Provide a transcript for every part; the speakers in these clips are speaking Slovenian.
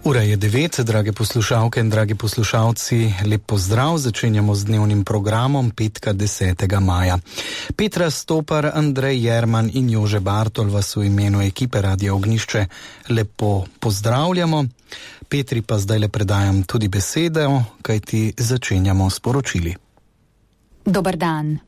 Ura je 9, drage poslušalke in dragi poslušalci, lep pozdrav, začenjamo z dnevnim programom petka 10. maja. Petra Stopar, Andrej Jerman in Jože Bartol vas v imenu ekipe Radia Ognjišče lepo pozdravljamo. Petri pa zdaj le predajam tudi besedo, kajti začenjamo s poročili. Dober dan.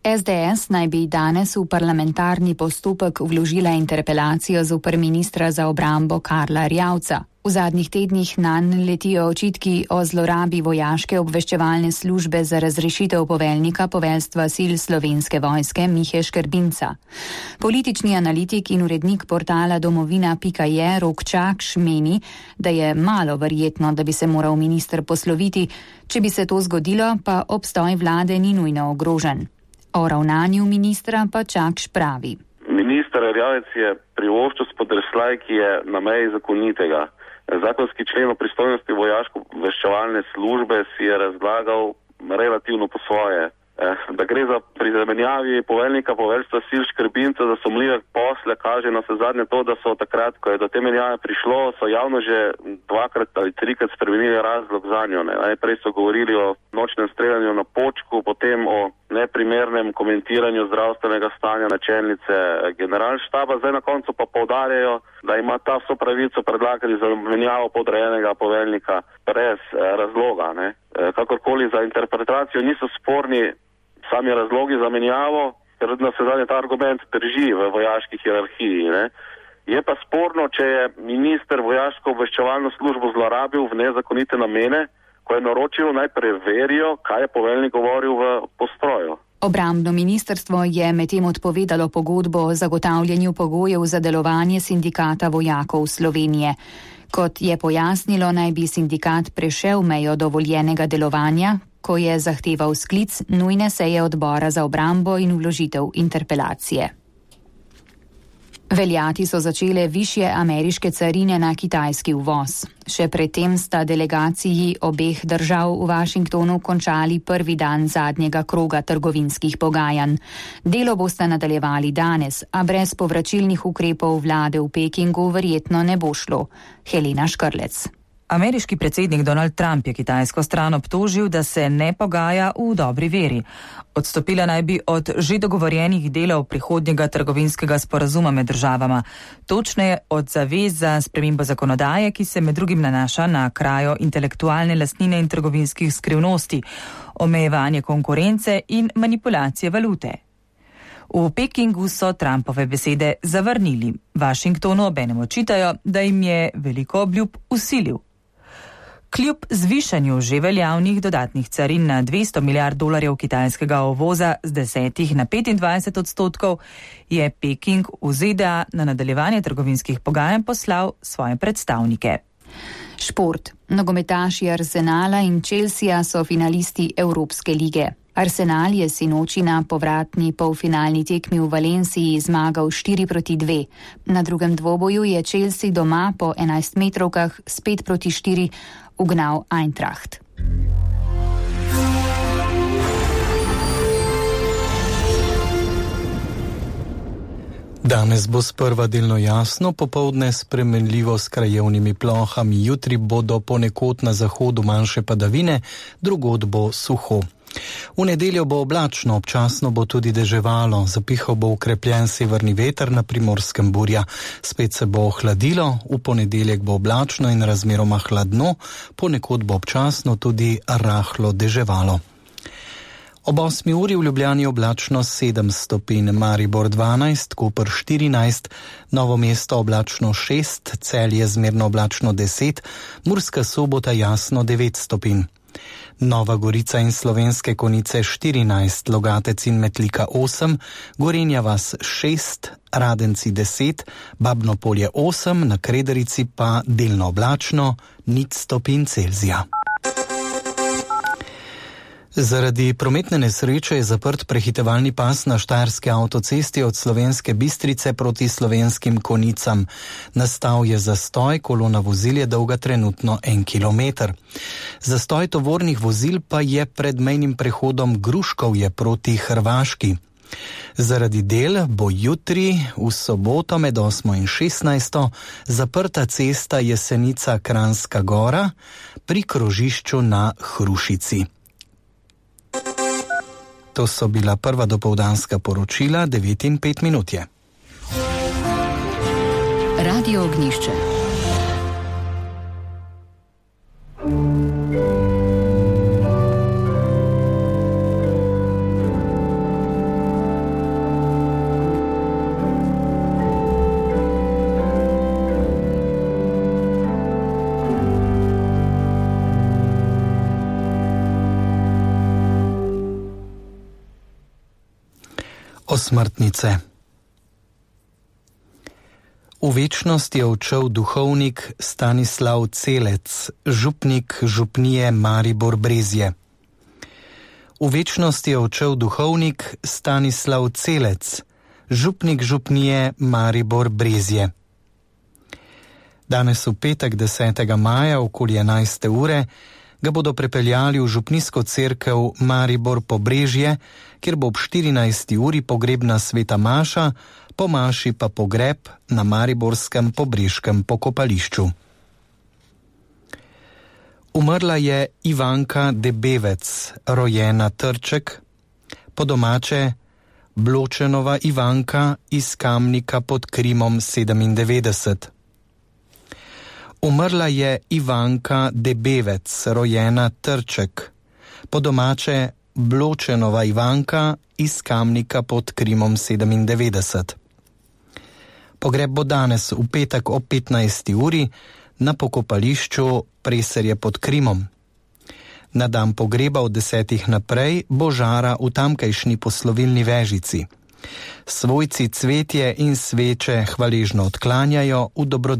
SDS naj bi danes v parlamentarni postopek vložila interpelacijo zoper ministra za obrambo Karla Erjavca. V zadnjih tednih nanj letijo očitki o zlorabi vojaške obveščevalne službe za razrešitev poveljnika poveljstva sil Slovenske vojske Mihe Škrbinca. Politični analitik in urednik portala domovina.je Rok Čakš meni, da je malo verjetno, da bi se moral minister posloviti. Če bi se to zgodilo, pa obstoj vlade ni nujno ogrožen. O ravnanju ministra pa Čakš pravi. Minister Erjavec je privoščil spodrsljaj, ki je na meji zakonitega. Zakonski člen o pristojnosti vojaško-obveščevalne službe si je razlagal relativno po svoje. Da gre za pri zamenjavi poveljnika poveljstva sil Škrbinca za sumljive posle, kaže na vse zadnje to, da so takrat, ko je do te menjave prišlo, so javno že 2 ali 3 spremenili razlog zanjo. Najprej so govorili o nočnem streljanju na Počku, potem o neprimernem komentiranju zdravstvenega stanja načelnice generalštaba. Zdaj na koncu pa poudarjajo, da ima ta vso pravico predlagati za menjavo podrejenega poveljnika brez razloga. Kakorkoli za interpretacijo niso sporni sami razlogi za menjavo, ker na vse zadnje ta argument drži v vojaški hierarhiji. Je pa sporno, če je minister vojaško obveščevalno službo zlorabil v nezakonite namene, ko je naročil naj preverijo, kaj je poveljnik govoril v postroju. Obrambno ministrstvo je medtem odpovedalo pogodbo o zagotavljanju pogojev za delovanje sindikata vojakov Slovenije. Kot je pojasnilo, naj bi sindikat prešel mejo dovoljenega delovanja, ko je zahteval sklic nujne seje odbora za obrambo in vložitev interpelacije. Veljati so začele višje ameriške carine na kitajski uvoz. Še predtem sta delegaciji obeh držav v Washingtonu končali prvi dan zadnjega kroga trgovinskih pogajanj. Delo boste nadaljevali danes, a brez povračilnih ukrepov vlade v Pekingu verjetno ne bo šlo. Helena Škrlec. Ameriški predsednik Donald Trump je kitajsko stran obtožil, da se ne pogaja v dobri veri. Odstopila naj bi od že dogovorjenih delov prihodnjega trgovinskega sporazuma med državama, točneje od zavez za spremembo zakonodaje, ki se med drugim nanaša na krajo intelektualne lastnine in trgovinskih skrivnosti, omejevanje konkurence in manipulacije valute. V Pekingu so Trumpove besede zavrnili. Washingtonu obenem očitajo, da jim je veliko obljub vsilil. Kljub zvišanju že veljavnih dodatnih carin na $200 milijard kitajskega uvoza z 10 na 25%, je Peking v ZDA na nadaljevanje trgovinskih pogajanj poslal svoje predstavnike. Šport. Nogometaši Arsenala in Chelsea so finalisti Evropske lige. Arsenal je sinoči na povratni polfinalni tekmi v Valenciji zmagal 4-2. Na drugem dvoboju je Chelsea doma po 11 metrovkah s 5-4 ugnal Eintracht. Danes bo sprva delno jasno, popoldne spremenljivo s krajevnimi plohami, jutri bodo ponekod na zahodu manjše padavine, drugod bo suho. V nedeljo bo oblačno, občasno bo tudi deževalo, zapihal bo ukrepljen severni veter, na Primorskem burja. Spet se bo ohladilo, v ponedeljek bo oblačno in razmeroma hladno, ponekod bo občasno tudi rahlo deževalo. Ob 8 uri v Ljubljani oblačno 7 stopinj, Maribor 12, Koper 14, Novo mesto oblačno 6, Celje zmerno oblačno 10, Murska Sobota jasno 9 stopinj. Nova Gorica in Slovenske Konjice 14, Logatec in Metlika 8, Gorenja vas 6, Radenci 10, Babno Polje 8, na Krederici pa delno oblačno 0 stopinj Celzija. Zaradi prometne nesreče je zaprt prehitevalni pas na štajerski avtocesti od Slovenske Bistrice proti Slovenskim Konjicam. Nastal je zastoj, kolona vozil je dolga trenutno 1 kilometer. Zastoj tovornih vozil pa je pred mejnim prehodom Gruškovje proti Hrvaški. Zaradi del bo jutri v soboto med 8 in 16 zaprta cesta Jesenica-Kranjska Gora pri krožišču na Hrušici. To so bila prva dopoldanska poročila, 9:05 je. Radio Ognjišče. Osmrtnice. V večnost je odšel duhovnik Stanislav Celec, župnik župnije Maribor Brezje. V večnost je odšel duhovnik Stanislav Celec, župnik župnije Maribor Brezje. Danes v petek 10. maja okoli 11. ure ga bodo prepeljali v župnijsko cerkev Maribor Pobrežje, kjer bo ob 14. uri pogrebna sveta maša, po maši pa pogreb na mariborskem pobrežkem pokopališču. Umrla je Ivanka Debevec, rojena Trček, po domače Bločenova Ivanka iz Kamnika pod Krimom 97. Umrla je Ivanka Debevec, rojena Trček, po domače Bločenova Ivanka iz Kamnika pod Krimom 97. Pogreb bo danes v petek ob 15. uri na pokopališču Preserje pod Krimom. Na dan pogreba od 10. naprej bo žara v tamkajšnji poslovilni vežici. Svojci cvetje in sveče hvaležno odklanjajo v dobrodelnosti.